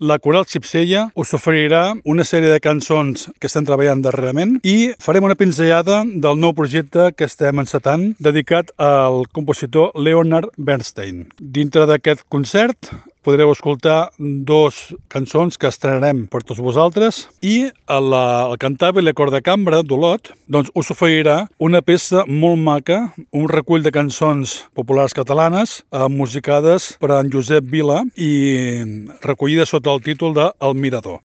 la Coral Cipsella us oferirà una sèrie de cançons que estem treballant darrerament i farem una pinzellada del nou projecte que estem encetant dedicat al compositor Leonard Bernstein. Dintre d'aquest concert podreu escoltar dos cançons que estrenarem per tots vosaltres i el cantant i la cor de cambra d'Olot doncs us oferirà una peça molt maca, un recull de cançons populars catalanes musicades per en Josep Vila i recollides sota el títol de El Mirador.